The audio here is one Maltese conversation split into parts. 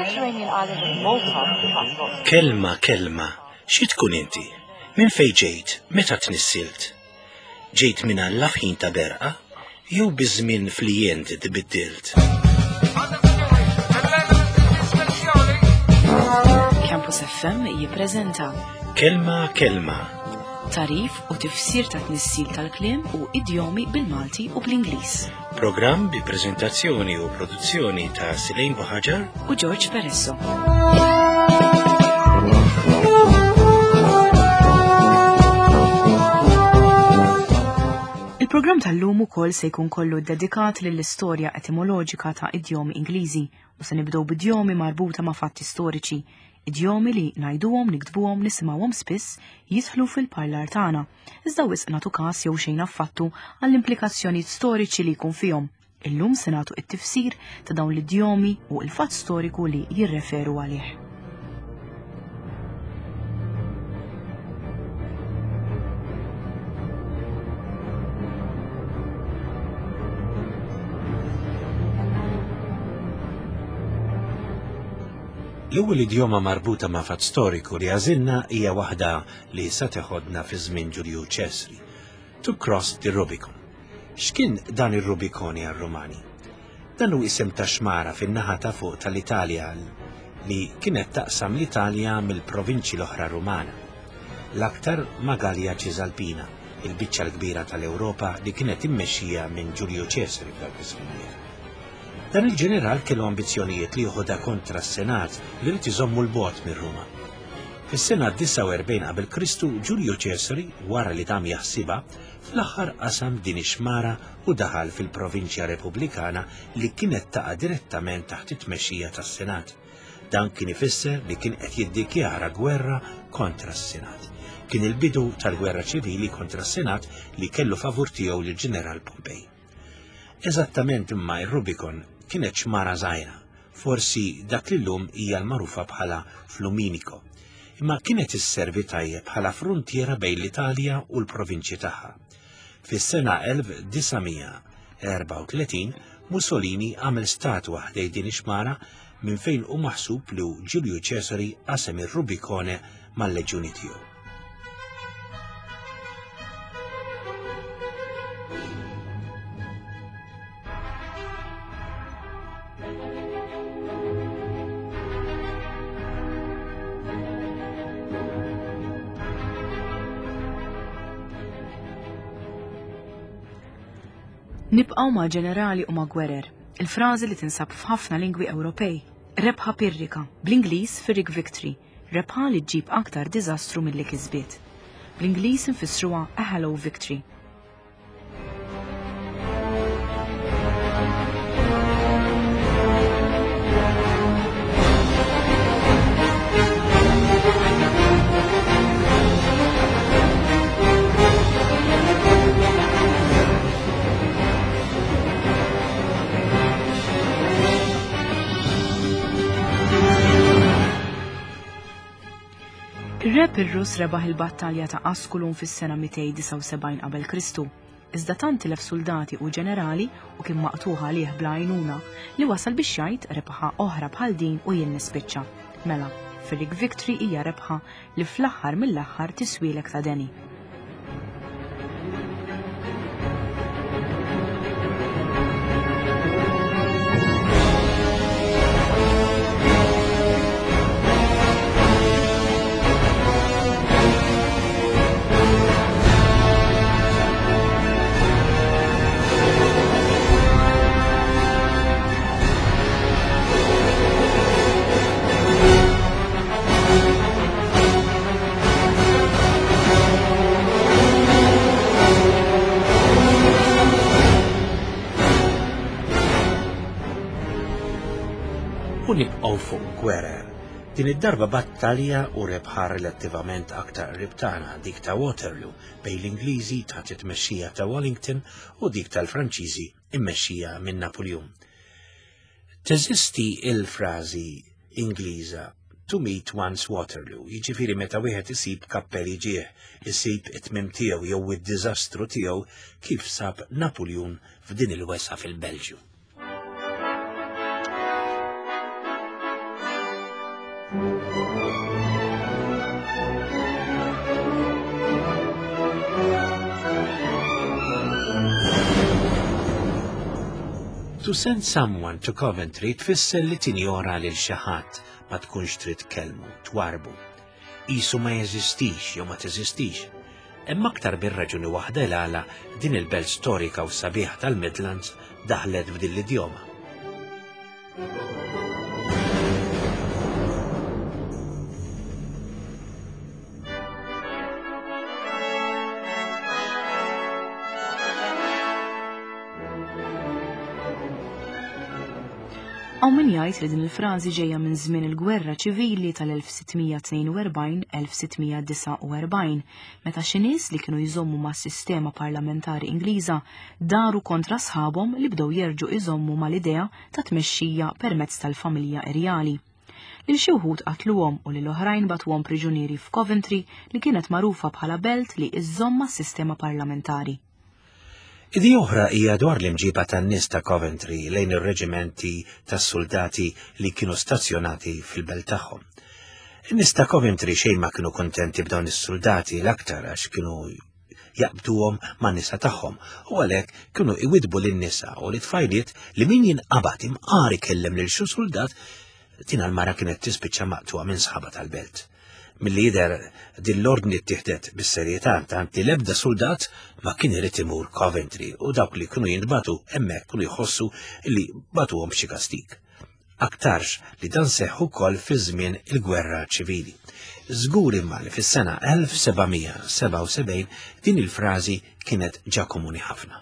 Mediterranean island of Malta has got Kelma, kelma, xi tkun inti? Minn fejn ġejt? Meta tnissilt? Ġejt minn Alla f'ħin ta' berqa? Jew biż-żmien flijent tbiddilt? Campus FM jippreżenta Kelma, kelma, tarif u tifsir ta' tnissil tal-kliem u idjomi bil-Malti u bl-Ingliż. Programm bi preżentazzjoni u produzzjoni ta' Silejn Buħaġar U George Peresso. Il-programm tal-lum ukoll se jkun kollu dedikat lill-istorja etimoloġika ta' idjomi Ingliżi u se nibdew b'idjomi marbuta ma' fatti storiċi, idjomi li ngħiduhom, niktbuhom, nisimgħuhom spiss jidħlu fil-parlar tagħna, iżda wisq nagħtu każ jew xejn affattu għall-implikazzjonijiet storiċi li jkun fihom. Illum se nagħtu t-tifsir ta' dawn l-idjomi u l-fatt storiku li jirreferu għalih. L-ewwel idjoma marbuta ma' fatt storiku li għażilna hija waħda li sa teħodna fi żmien Ġulju Ċesri. To cross the Rubicon. X'kien dan ir-Rubikoni għar-Rumani? Dan hu isem ta' xmara fin-naħa ta' fuq tal-Italja li kienet taqsam l-Italja mill-provinċji l-oħra Rumana. L-aktar ma' Galja Ċisalpina, il-biċċa l-kbira tal-Ewropa li kienet immexxija minn Ġulju Ċesari f'dawk iż-żminijiet. Dan il-ġeneral kellu ambizzjonijiet li joħodha kontra s-Senat li ried iżommu 'l bogħod minn Ruma. Fis-sena 49 qabel Kristu, Ġulju Ċesari, wara li dam jaħsibha, fl-aħħar qasam din ix-xmara u daħal fil-provinċja Repubblikana li kienet taqa' direttament taħt it-tmexxija tas-Senat. Dan kien ifisser li kien qed jiddikjara gwerra kontra s-Senat. Kien il-bidu tal-gwerra ċivili kontra s-Senat li kellu favur tiegħu lill-Ġeneral Pompej. Eżattament imma ir-Rubicon kienet xmara żgħira, forsi dak li llum hija l-magħrufa bħala Fluminico, imma kienet isservi tajjeb bħala fruntiera bejn l-Italja u l-provinċji tagħha. Fis-sena 1934 Mussolini għamel statwa ħdej din ix-xmara minn fejn hu maħsub li Ġulju Ċesari qasem ir-Rubicone mal-leġjuni tiegħu. Nibqgħu ma' ġenerali u ma' gwerer, il-frażi li tinsab f'ħafna lingwi Ewropej, rebħa pirrika, bl-Ingliż Pyrrhic Victory, Rebħa li ġġib aktar diżastru milli kisbiet. Bl-Ingliż infissruha a hollow victory. Ir-re Pirrus rebaħ il-battalja ta' Asculum fis-sena 279 qabel Kristu, iżda tant tilef suldati u ġenerali u kien maqtugħ għalih bla għajnuna li wasal biex jgħid rebħa oħra bħal din u jien nispiċċa. Mela, Pyrrhic Victory hija rebħa li fl-aħħar mill-aħħar tiswielek ta' deni. U nibqgħu fuq gwerer. Din id-darba battalja u rebħa relattivament aktar qrib tagħna, dik ta' Waterloo bejn l-Ingliżi taħt it-tmexxija ta' Wellington u dik tal-Franċiżi immexxija minn Napuljun. Teżisti il-frażi Ingliża to meet one's Waterloo, jiġifieri meta wieħed isib kappell jiġih, isib it-tmiem tiegħu jew id-diżastru tiegħu kif sab Napuljun f'din il-wesgħa fil-Belġju. To send someone to Coventry tfisser li tinjora lil xi ħadd ma tkunx trid tkellmu, twarbu. Qisu ma jeżistix jew ma teżistix. Hemm aktar minn raġuni waħda il għala din il-belt storika u sabiħa tal-Midlands daħlet f'din l-idjoma. Hawn min jgħid li din il-frażi ġejja minn żmien il-Gwerra Ċivili tal-1642-1649, meta xi nies li kienu jżommu mas-sistema parlamentari Ingliża daru kontra sħabhom li bdew jerġgħu iżommu mal-idea ta' tmexxija permezz tal-familja irjali. Lil xi wħud qatluhom u lil oħrajn bagħtuhom priġunieri f'Coventry li kienet magħrufa bħala belt li iżżomm mas-sistema parlamentari. Idea oħra hija dwar l-imġiba tan-nies ta' Coventry lejn ir-reġimenti tas-suldati li kienu stazzjonati fil-belt tagħhom. In-nies ta' Coventry xejn ma kienu kuntenti b'dawn is-suldati l-aktar għax kienu jaqbduhom man-nisa tagħhom u għalhekk kienu iwidbu lin-nisa u lit-tfajliet li min jinqabad imqar ikellem lil xi suldat Tina l-mara kienet tispiċċa maqtuha minn sħaba tal-belt. Milli jidher din l-ordni ttieħdet bis-serjetà tant li l-ebda suldat ma kien irid imur Coventry u dawk li kienu jintbagħtu hemmhekk kienu jħossu li bagħtuhom b'xi kastig. Aktarx li dan seħħ ukoll fi żmien il-gwerra ċivili. Żgur imma li fis-sena 1777 din il-frażi kienet ġa komuni ħafna.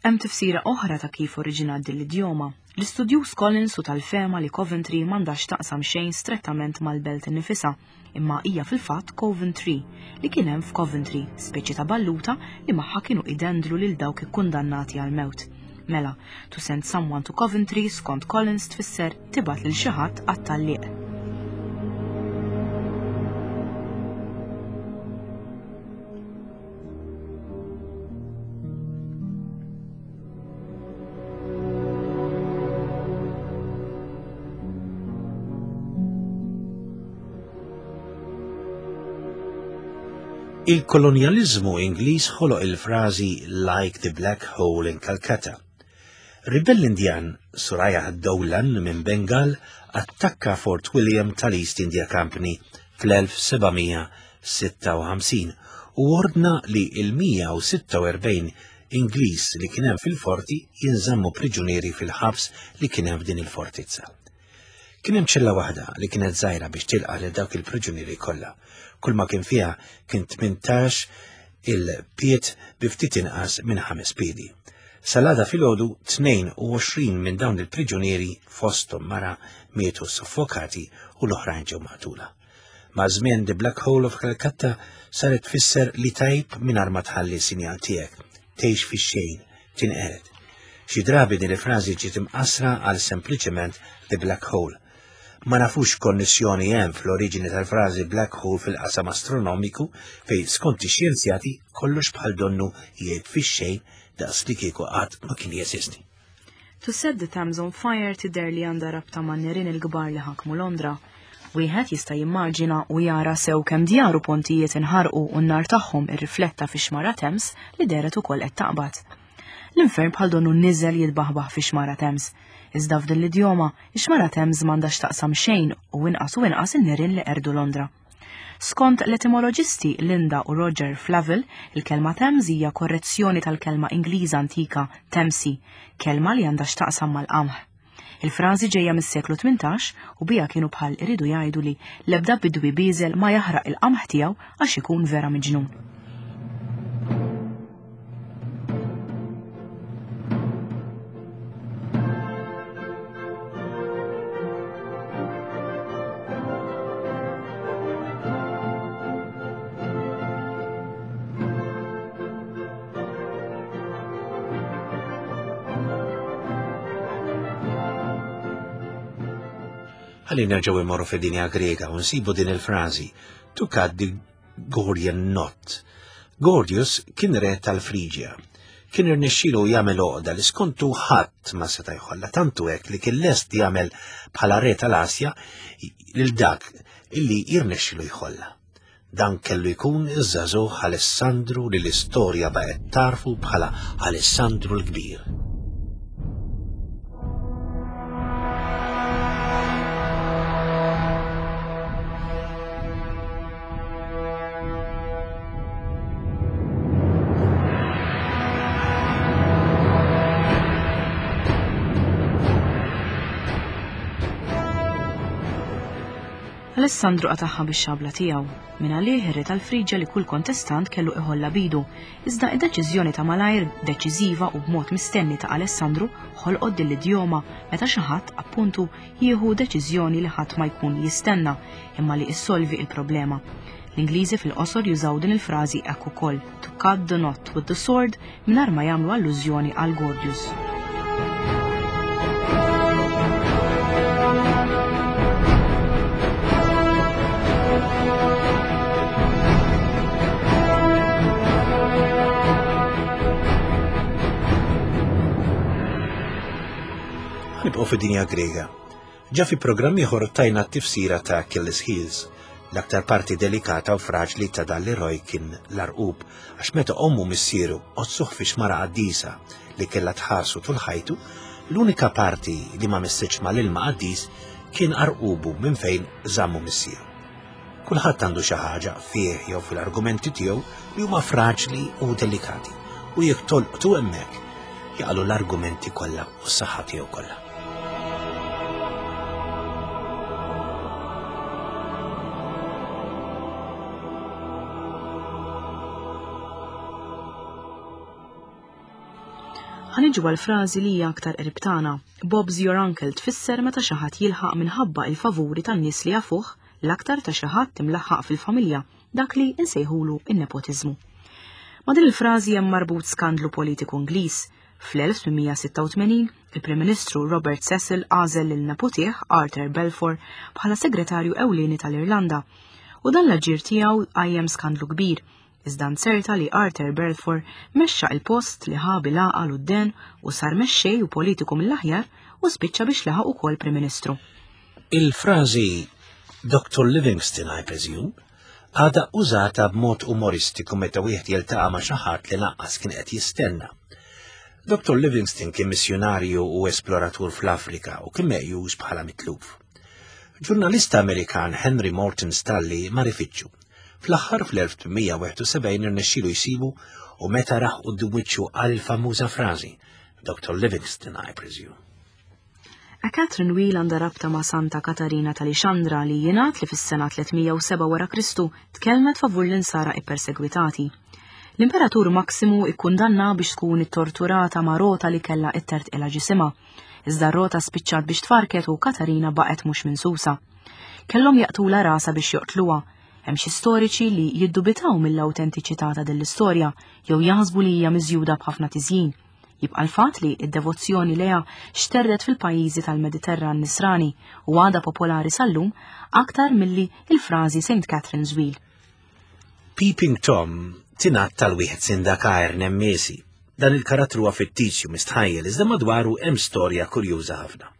Hemm tifsira oħra ta' kif oriġinat din l-idjoma. L-istudjuż Collins hu tal-fehma li Coventry m'għandha x'taqsam xejn strettament mal-belt innifisha, imma hija fil-fatt Coventry, li kien hemm f'Coventry, speċi ta' balluta li magħha kienu idendlu lil dawk ikkundannati għall-mewt. Mela, to send someone to Coventry skont Collins tfisser tibgħat lil xi ħadd għat-tgħalliq. Il-kolonjaliżmu Ingliż ħoloq il-frażi like the black hole in Calcutta. Ribell Indjan Suraya Dowlan minn Bengal attakka Fort William tal-East India Company fl-1700 56 u ordna li l-146 Ingliż li kien hemm fil-forti jinżammu priġunieri fil-ħabs li kien hemm f'din il-fortizza. Kien hemm ċella waħda li kienet żgħira biex tilqa' lil dawk il-priġunieri kollha. Kull ma kien fiha kien 18 il-piet bi ftit inqas minn ħames piedi. Salada filgħodu 22 minn dawn il-priġunieri fosthom mara mietu soffokati u l-oħrajn ġew maqtula. Maż-żmien The Black Hole of Calcutta saret tfisser li tgħib mingħajr ma tħalli sinjal tiegħek, tgħix fix-xejn, tinqered. Xi drabi din il-frażi ġiet imqassra għal sempliċement The Black Hole. Ma nafux konnessjoni hemm fl-oriġini tal-frażi black hole fil-qasam astronomiku fejn skont ix-xjenzjati kollox bħal donnu jgħib fix-xejn daqs li kieku qatt ma kien jeżisti. To set the Thames on fire tidher li għandha rabta man-nirien il-kbar li ħakmu Londra. Wieħed jista' jimmaġina u jara sew kemm djar u pontijiet inħarqu u n-nar tagħhom irrifletta fix-xmara Thames li dehret ukoll qed taqbad. L-infern bħal donnu niżel jitbaħbaħ fix-xmara Thames. Iżda f'din l-idjoma, ix-xmara Thames m'għandha x'taqsam xejn u inqas u inqas in-nirien li qerdu Londra. Skont l-etimoloġisti Linda u Roger Flavel, il-kelma Thames hija korrezzjoni tal-kelma Ingliża antika Temsi, kelma li għandha x'taqsam mal-qamħ. Il-frażi ġejja mis-seklu 18 u biha kienu bħal iridu jgħidu li l-ebda bidwi bieżel ma jaħraq il-qamħ tiegħu għax ikun vera miġnun. Ħalli nerġgħu immorru fid-dinja Griega u nsibu din il-frażi to cut the Gordian Knot. Gordius kien re tal-Friġja. Kien irnexxielu jagħmel għoqda li skontu ħadd ma seta' jħollha tantu hekk li kien lest jagħmel bħala re tal-Asja lil dak illi jirnexxielu jħollha. Dan kellu jkun iż-żagħżugħ Alessandru li l-istorja baqgħet tarfu bħala Alessandru l-Kbir. Alessandru qatagħha bix-xabla tiegħu. Minn għalih ir-re tal-Friġja li kull kontestant kellu iħollha bidu, iżda id-deċiżjoni ta' malajr, deċiżiva u b'mod mistenni ta' Alessandru ħolqot din l-idjoma meta xi ħadd, appuntu, jieħu deċiżjoni li ħadd ma jkun jistenna, imma li issolvi il-problema. L-Ingliżi fil-qosor jużaw din il-frażi hekk ukoll, to cut the knot with the sword, mingħajr ma jagħmlu allużjoni għal Gordius. Nibqgħu fid-dinja Grega. Ġa fi programm ieħor tajna t-tifsira ta' Achilles Heels. L-aktar parti delikata u fraġli ta' dan l-eroj kien l-arqub, għax meta ommu missieru qodsuh fi xmara qaddisa li kellha tħarsu tul ħajtu, l-unika parti li ma missitx mal-ilma qaddis kien arqubu minn fejn żammu missieru. Kulħadd għandu xi ħaġa fih jew fil-argumenti tiegħu li huma fraġli u delikati u jekk tolqtu hemmhekk jaqalu l-argumenti kollha u s-saħħa tiegħu kollha. Ħaniġu għal frażi li hija aktar qrib tagħna. Bob's your uncle tfisser meta xi ħadd jilħaq minħabba il-favuri tan-nies li jafuh, l-aktar ta' xi ħadd imlaħħaq fil-familja, dak li nsejħulu in-nepotiżmu. Ma' din il-frażi hemm marbut skandlu politiku Ingliż. Fl-1886, il-Prim Ministru Robert Cecil għażel lil neputih Arthur Balfour bħala segretarju ewlieni tal-Irlanda. U dan l-aġir tiegħu qajjem skandlu kbir. Iżda nzerta li Arthur Balfour mexxa il-post li ħa bil-għaqal u d-den u sar mexxej u politiku mill-aħjar u spiċċa biex laħaq ukoll Prim Ministru. Il-frażi Dr. Livingstone, I presume, għadha użata b'mod umoristiku meta wieħed jiltaqa' ma' xi ħadd li lanqas kien qed jistenna. Dr. Livingstone kien missjunarju u esploratur fl-Afrika u kien meqjus bħala mitluf. Ġurnalista Amerikan Henry Morton Stanley mar ifittxu. Fl-aħħar fl-1871 irnexxielu jsibu u meta rah quddiem wiċċu qal il-famuża frażi, Dr. Livingstone, I presume. A Catherine Wheel għandha rabta ma' Santa Katarina ta' Lixandra li jingħad li fis-sena 307 wara Kristu tkellmet favur l-insara ippersegwitati. L-Imperatur Maximu ikkundanna biex tkun ittorturata ma' rota li kellha ittertqilha ġisimha. Iżda r-rota spiċċat biex tfarket u Katarina baqgħet mhux minsusa. Kellhom jaqtula rasha biex joqtluha. Hemm xi storiċi li jiddubitaw mill-awtentiċità ta' din l-istorja jew jaħsbu li hija miżjuda b'ħafna tiżjin. Jibqa' l-fatt li d-devozzjoni lejha xterdet fil-pajjiżi tal-Mediterran Nisrani u għadha popolari sal-lum aktar milli il-frażi St. Catherine's Wheel. Peeping Tom tingħad tal-wieħed sindaka Nemmesi. Dan il-karattru huwa fittizju mistħajjel iżda madwaru hemm storja kurjuża ħafna.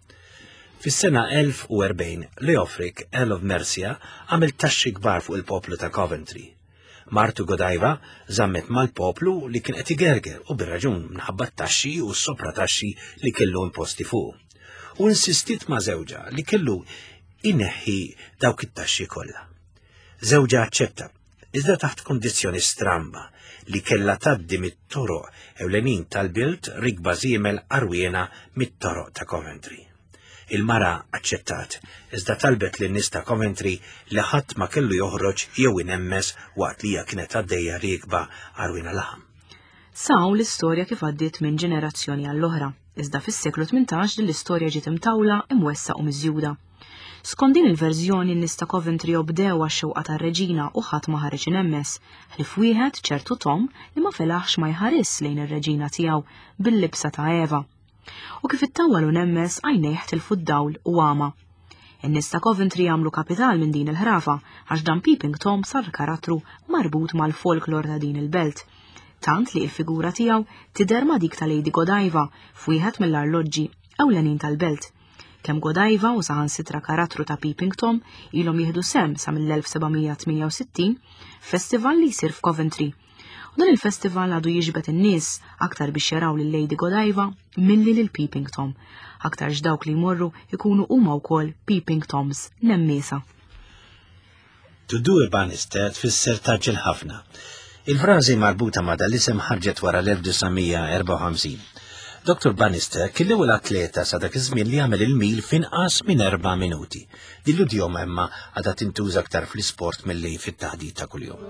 Fis-sena 1040, Leofric, Earl of Mercia, għamel taxxi kbar fuq il-poplu ta' Coventry. Martu Godiva żammet mal-poplu li kien qed igerger u bir-raġun minħabba t-taxxi u s-soprataxxi li kellu imposti fuq. U insistiet ma' żewġha li kellu ineħħi dawk it-taxxi kollha. Żewġha aċċetta, iżda taħt kondizzjoni stramba li kellha tgħaddi mit-toroq ewlenin tal-bilt rikba żiemel għarwiena mit-toroq ta' Coventry. Il-mara aċċettat, iżda talbet lin-nies ta' Coventry li ħadd ma kellu joħroġ jew inemmes waqt li hija kienet għaddejja riekba għarwiena laħam. Sa hawn l-istorja kif għaddiet minn ġenerazzjoni għall-oħra, iżda fis-seklu 18 din l-istorja ġiet imtawla, imwessa' u miżjuda. Skont din il-verżjoni n-nies ta' Coventry obdew għax-xewqa tar-reġina u ħadd ma ħareġ inemmes, ħlief wieħed ċertu Tom li ma felaħx ma jħarisx lejn ir-reġina tiegħu bil-libsa ta' Eva. U kif ittawwal u nemmes għajnejh tilfu d-dawl u għama. In-nies ta' Coventry għamlu kapital minn din il-ħrafa għax dan Peeping Tom sar karattru marbut mal-folklor ta' din il-belt. Tant li il-figura tiegħu tidher ma' dik ta' Lady Godiva f'wieħed mill-arloġġi ewlenin tal-belt. Kemm Godiva u saħansitra karattru ta' Peeping Tom ilhom jieħdu sehem sa mill-1768 festival li jsir f'Coventry. U dan il-festival għadu jiġbed in-nies aktar biex jaraw lil Lady Godiva milli lil Peeping Tom. Aktarx dawk li jmorru ikunu huma wkoll Peeping Toms nemmiesa. To do a Bannister tfisser taġġel ħafna. Il-frażi marbuta ma' dal-isem ħarġet wara l-1954. Dr. Bannister kien l-ewwel atleta sa dak iż-żmien li għamel il-mil f'inqas minn erba' minuti. Din l-idjoma imma għadha tintuża aktar fl-isport milli fit-taħdit ta' kuljum.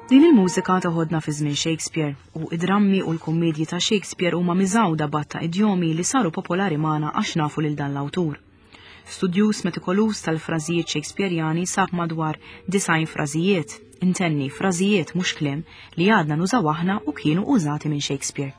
Din il-mużika toħodna fi żmien Shakespeare u id-drammi u l-kummedji ta' Shakespeare huma miżgħuda batta idjomi li saru popolari magħna għax nafu lil dan l-awtur. Studjuż metikoluż tal-frażijiet Shakespearjani sab madwar 90 frażijiet, intenni frażijiet mhux kliem, li għadna nużaw aħna u kienu użati minn Shakespeare.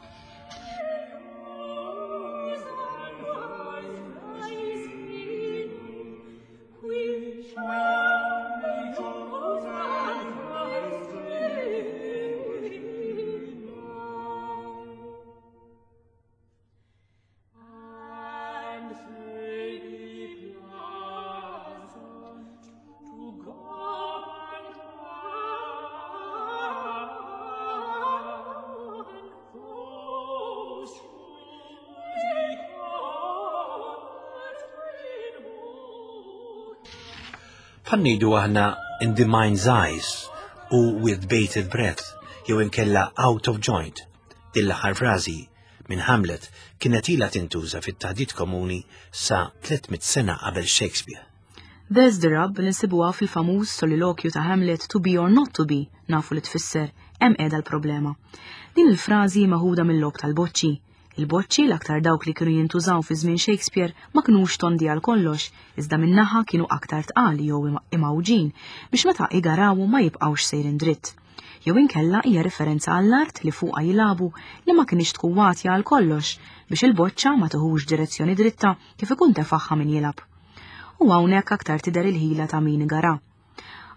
Bħal ngħidu aħna in the mind's eyes u with bated breath jew inkella out of joint. Din l-aħħar frażi minn Hamlet kienet ilha tintuża fit-taħdit komuni sa 300 sena qabel Shakespeare. There's the rub li nsibuha fil-famuż solilokju ta' Hamlet to be or not to be, nafu li tfisser hemm qiegħda l-problema. Din il-frażi meħuda mill-logħob tal-boċċi. Il-boċċi l-aktar dawk li kienu jintużaw fi żmien Shakespeare ma kinux tondi għal kollox, iżda min-naħa kienu aktar tqal jew imgħawġin biex meta igarawhom ma jibqgħux sejrin dritt. Jew inkella hija referenza għall-art li fuqha jilagħbu li ma kinitx tkun watja għal kollox biex il-boċċa ma tiħux direzzjoni dritta kif ikun tefagħha min jilgħab. U hawnhekk aktar tidher il-ħila ta' min igara.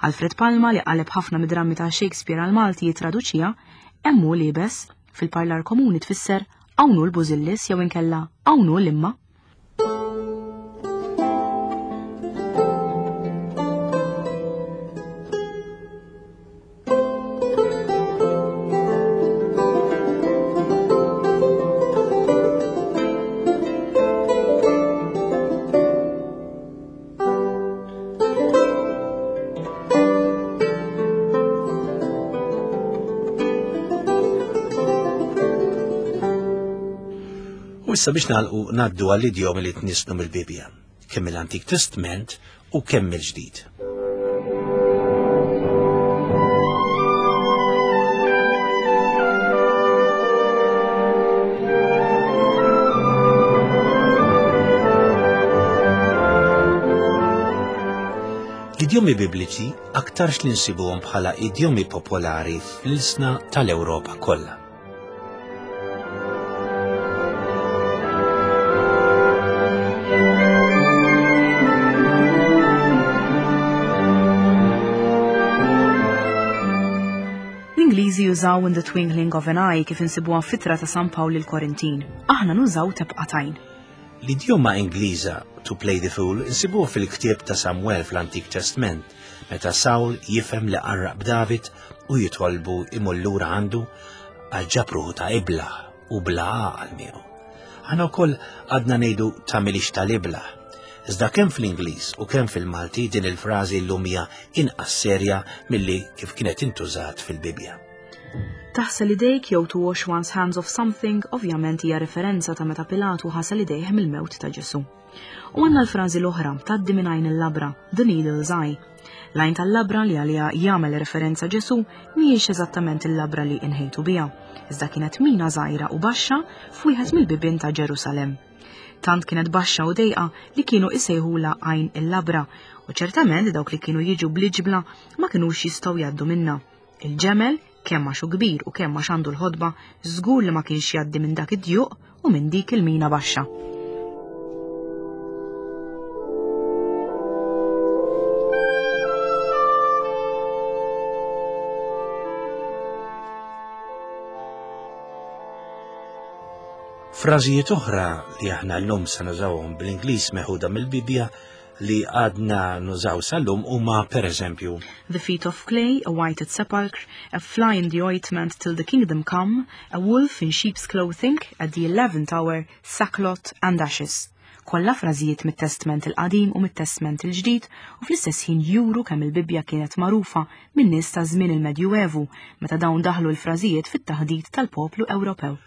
Alfred Palma li qaleb ħafna mid-drammi ta' Shakespeare għal Malti jitraduċiha, hemm hu liebes, fil-parlar komuni tfisser hawn hu l-bużillis jew inkella hawn hu l-imma. U issa biex nagħlqu ngħaddu għall-idjomi li tnisslu mill-Bibbja, kemm mill-Antik Testment u kemm mill-Ġdid. L-idjomi Bibliċi aktarx li nsibuhom bħala idjomi popolari fl-ilsna tal-Ewropa kollha. L-Ingliżi jużaw in the twinkling of an eye kif insibuha f'ittra ta' San Pawl lill-Korintin. Aħna nużaw tebqa' t'għajn. L-idjoma Ingliża to play the fool insibuha fil-ktieb ta' Samwel fl-Antik Testment, meta Sawl jifhem li qarraq b'David u jitolbu imur lura għandu għax ġab ruħu ta' iblah u bla għaqal miegħu. Aħna wkoll għadna ngħidu tagħmilix tal-iblah. Iżda kemm fl-Ingliż u kemm fil-Malti din il-frażi llum hija inqas serja milli kif kienet intużat fil-Bibbja. Taħsel idejk jew to wash one's hands of something ovvjament hija referenza ta' meta Pilatu ħasel idejh mill-mewt ta' Ġesù. U għandna l-frażi l-oħra tgħaddi minn għajn il-labra, the needle's eye. L-għajn tal-labra li għaliha jagħmel referenza Ġesù mhijiex eżattament il-labra li inħejtu biha, iżda kienet mina żgħira u baxxa f'wieħed mill-bibien ta' Ġerusalemm. Tant kienet baxxa u dejqa li kienu isejħulha għajn il-labra u ċertament dawk li kienu jiġu bl-iġbla ma kinux jistgħu jgħaddu minnha. Il-ġemel, kemm għax hu kbir u kemm għax għandu l-ħodba, żgur li ma kienx jgħaddi minn dak id-djuq u minn dik il-mina baxxa. Frażijiet oħra li aħna llum se nużawhom bl-Ingliż meħuda mill-Bibbja li għadna nużaw sal-lum huma pereżempju The feet of clay, a whited sepulchre, a fly in the ointment till the kingdom come, a wolf in sheep's clothing, at the eleventh hour, sackcloth and ashes. Kollha frażijiet mit-Testment il-Qadim u mit-Testment il-Ġdid u fl-istess ħin juru kemm il-Bibbja kienet magħrufa min-nies ta' żmien il-Medjuevu meta dawn daħlu l-frażijiet fit-taħdit tal-poplu Ewropew.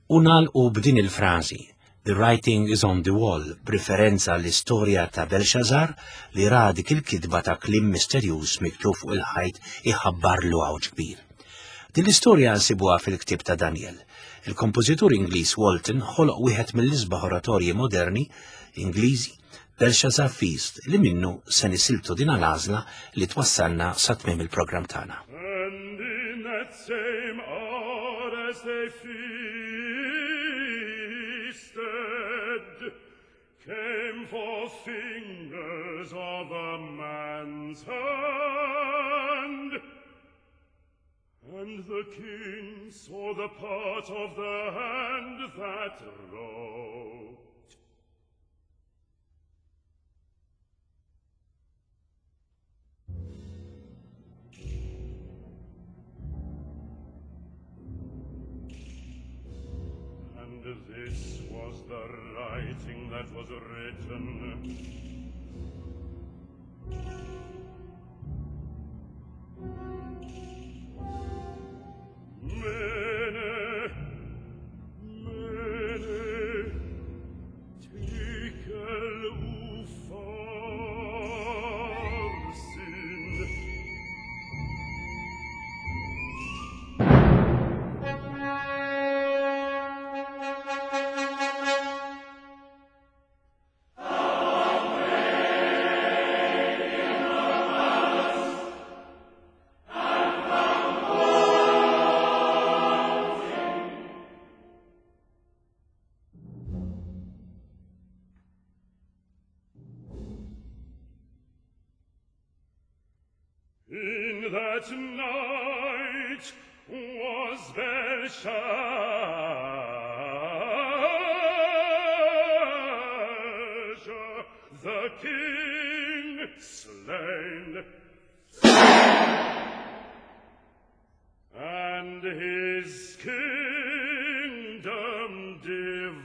U nagħlqu b'din il-frażi, The writing is on the wall, b'riferenza għall-istorja ta' Belxażar li ra dik il-kitba ta' kliem misterjuż miktub fuq il-ħajt iħabbarlu għawġ kbir. Din l-istorja nsibuha fil-ktieb ta' Danjel. Il-kompożitur Ingliż Walton ħoloq wieħed mill-isbaħ oratorji moderni Ingliżi, Belshazzar Feast, li minnu se nisiltu din l-għażla li twassalna sa tmiem il-programm tagħna. And in that same hour as they feasted, came forth fingers of a man's hand. And the king saw the part of the hand that wrote. And this was the writing that was written. Mene, mene, tekel upharsin. In that night was Belshazzar the king slain, and his kingdom divided.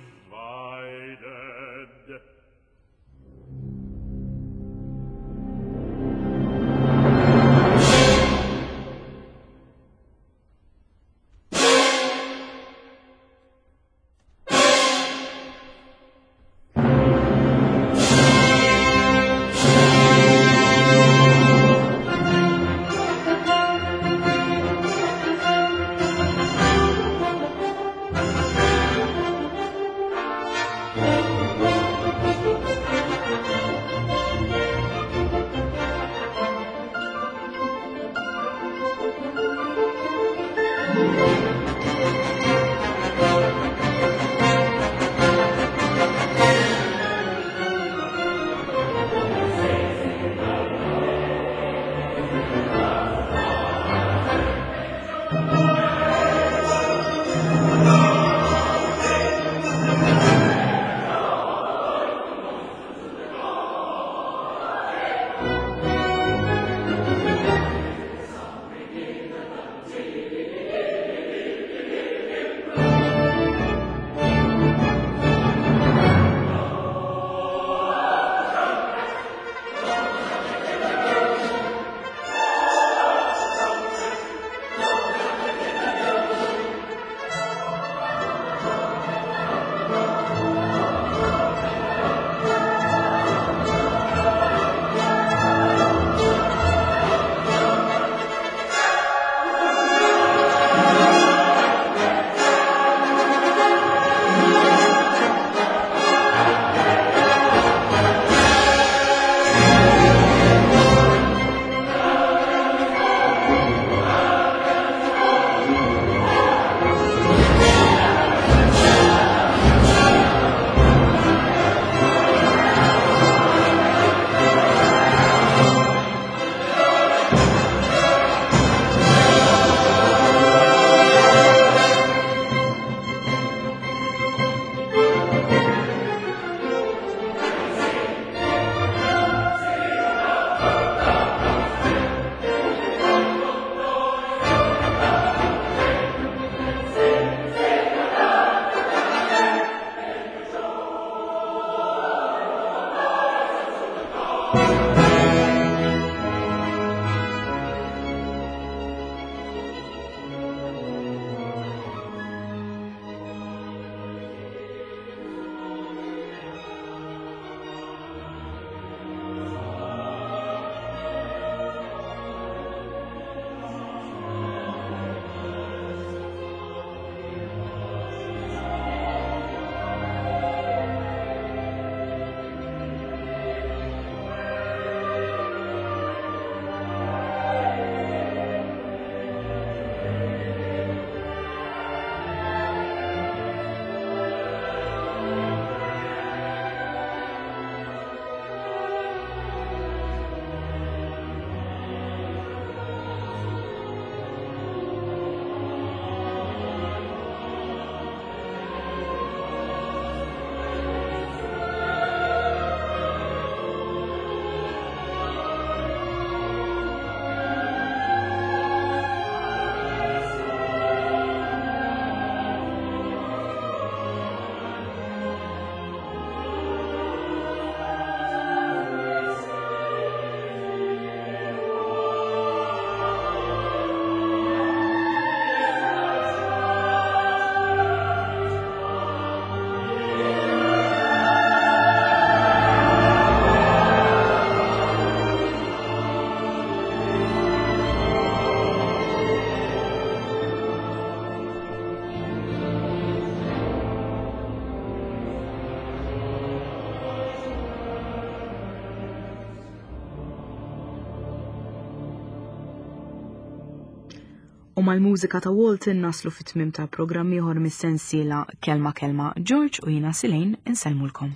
U mal-mużika ta' Walton naslu fit-tmim ta' programm ieħor mis-sensiela Kelma Kelma George u jiena Silejn insellmulkom.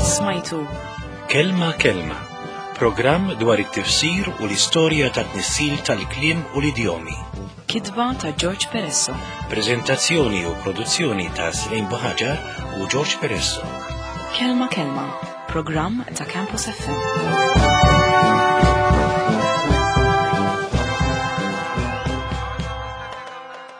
Smajtu. Kelma Kelma, programm dwar it-tifsir u l-istorja ta' tnissil tal-kliem u l-idjomi. Kitba ta' George Peresso. Prezentazzjoni u produzzjoni ta' Silejn Buħaġar u George Peresso. Kelma Kelma, programm ta' Campus FM.